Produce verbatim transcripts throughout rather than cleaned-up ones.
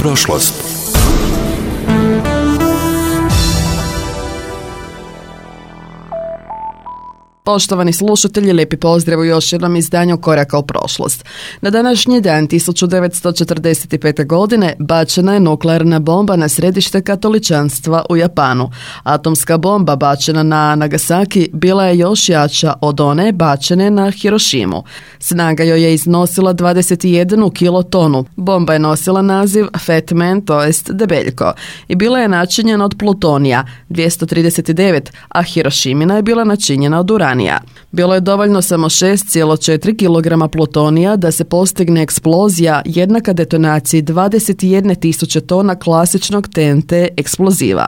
prošlost. Poštovani slušatelji, lijepi pozdrav u još jednom izdanju Koraka u prošlost. Na današnji dan tisuću devetsto četrdeset pete. godine bačena je nuklearna bomba na središte katoličanstva u Japanu. Atomska bomba bačena na Nagasaki bila je još jača od one bačene na Hirošimu. Snaga joj je iznosila dvadeset jednu kilotonu. Bomba je nosila naziv Fat Man, to jest debeljko, i bila je načinjena od plutonija dvjesto trideset devet, a Hirošimina je bila načinjena od uranija. Bilo je dovoljno samo šest zarez četiri kilograma plutonija da se postigne eksplozija jednaka detonaciji dvadeset jedne tisuće tona klasičnog T N T eksploziva.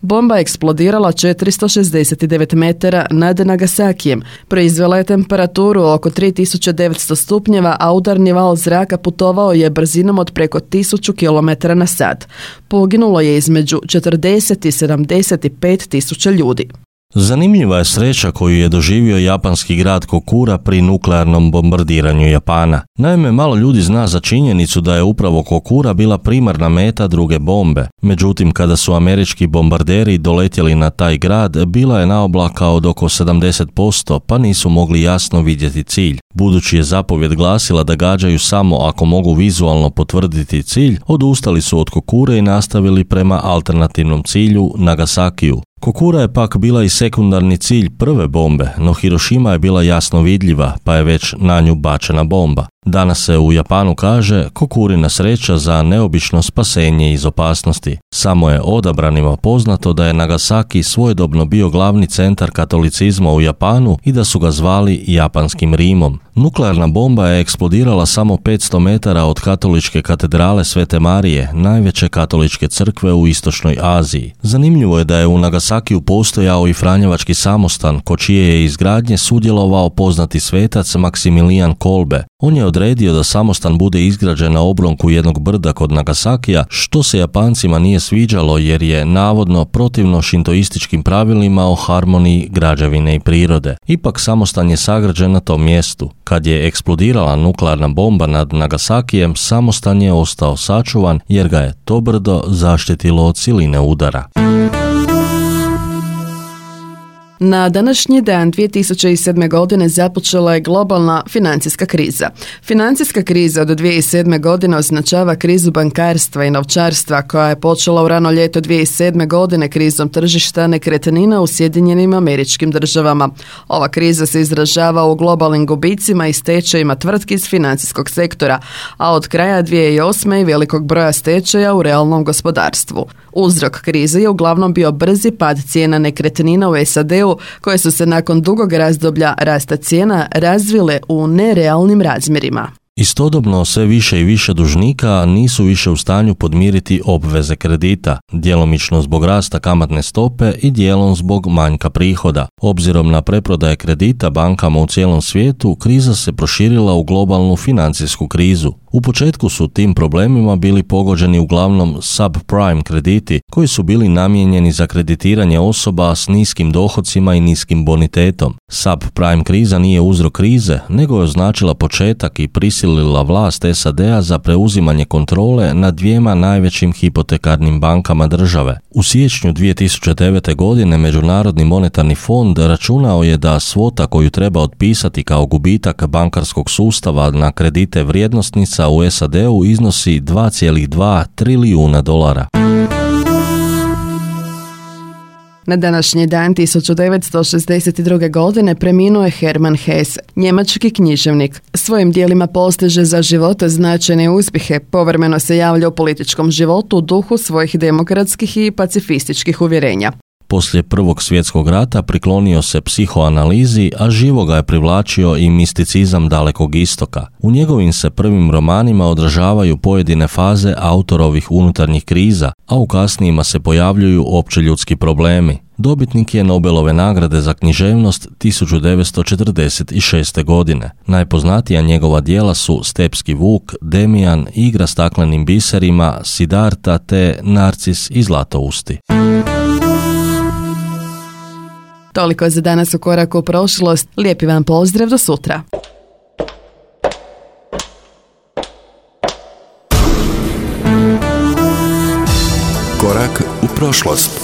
Bomba je eksplodirala četiristo šezdeset devet metara nad Nagasakijem, proizvela je temperaturu oko tri tisuće devetsto stupnjeva, a udarni val zraka putovao je brzinom od preko tisuću kilometara na sat. Poginulo je između četrdeset i sedamdeset pet tisuća ljudi. Zanimljiva je sreća koju je doživio japanski grad Kokura pri nuklearnom bombardiranju Japana. Naime, malo ljudi zna za činjenicu da je upravo Kokura bila primarna meta druge bombe. Međutim, kada su američki bombarderi doletjeli na taj grad, bila je naoblaka od oko sedamdeset posto, pa nisu mogli jasno vidjeti cilj. Budući je zapovjed glasila da gađaju samo ako mogu vizualno potvrditi cilj, odustali su od Kokure i nastavili prema alternativnom cilju Nagasakiju. Kokura je pak bila i sekundarni cilj prve bombe, no Hirošima je bila jasno vidljiva, pa je već na nju bačena bomba. Danas se u Japanu kaže Kokurina sreća za neobično spasenje iz opasnosti. Samo je odabranima poznato da je Nagasaki svojedobno bio glavni centar katolicizma u Japanu i da su ga zvali Japanskim Rimom. Nuklearna bomba je eksplodirala samo petsto metara od katoličke katedrale Svete Marije, najveće katoličke crkve u istočnoj Aziji. Zanimljivo je da je u Nagasakiju postojao i Franjevački samostan, ko čije je izgradnje sudjelovao poznati svetac Maksimilijan Kolbe. On je odredio da samostan bude izgrađen na oblonku jednog brda kod Nagasakija, što se Japancima nije sviđalo jer je navodno protivno šintoističkim pravilima o harmoniji građevine i prirode. Ipak samostan je sagrađen na tom mjestu. Kad je eksplodirala nuklearna bomba nad Nagasakijem, samostan je ostao sačuvan jer ga je to brdo zaštitilo od siline udara. Na današnji dan dvije tisuće sedme. godine započela je globalna financijska kriza. Financijska kriza od dvije tisuće sedme. godine označava krizu bankarstva i novčarstva koja je počela u rano ljeto dvije tisuće sedme. godine krizom tržišta nekretnina u Sjedinjenim Američkim Državama. Ova kriza se izražava u globalnim gubicima i stečajima tvrtki iz financijskog sektora, a od kraja dvije tisuće osme. i velikog broja stečaja u realnom gospodarstvu. Uzrok krize je uglavnom bio brzi pad cijena nekretnina u S A D-u, koje su se nakon dugog razdoblja rasta cijena razvile u nerealnim razmjerima. Istodobno sve više i više dužnika nisu više u stanju podmiriti obveze kredita, djelomično zbog rasta kamatne stope i dijelom zbog manjka prihoda. Obzirom na preprodaje kredita bankama u cijelom svijetu, kriza se proširila u globalnu financijsku krizu. U početku su tim problemima bili pogođeni uglavnom subprime krediti, koji su bili namijenjeni za kreditiranje osoba s niskim dohocima i niskim bonitetom. Subprime kriza nije uzrok krize, nego je označila početak i prisilila vlast S A D-a za preuzimanje kontrole nad dvijema najvećim hipotekarnim bankama države. U siječnju dvije tisuće devete. godine Međunarodni monetarni fond računao je da svota koju treba otpisati kao gubitak bankarskog sustava na kredite vrijednosnica u S A D-u iznosi dva zarez dva trilijuna dolara. Na današnji dan tisuću devetsto šezdeset druge. godine preminuo je Hermann Hesse, njemački književnik. Svojim djelima postiže za života značajne uspjehe, povremeno se javlja u političkom životu u duhu svojih demokratskih i pacifističkih uvjerenja. Poslije Prvog svjetskog rata priklonio se psihoanalizi, a živo ga je privlačio i misticizam Dalekog istoka. U njegovim se prvim romanima odražavaju pojedine faze autorovih unutarnjih kriza, a u kasnijima se pojavljuju općeljudski problemi. Dobitnik je Nobelove nagrade za književnost tisuću devetsto četrdeset šeste. godine. Najpoznatija njegova djela su Stepski vuk, Demijan, Igra staklenim biserima, Siddharta te Narcis i Zlatousti. Toliko za danas u Koraku u prošlost. Lijepi vam pozdrav, do sutra. Korak u prošlost.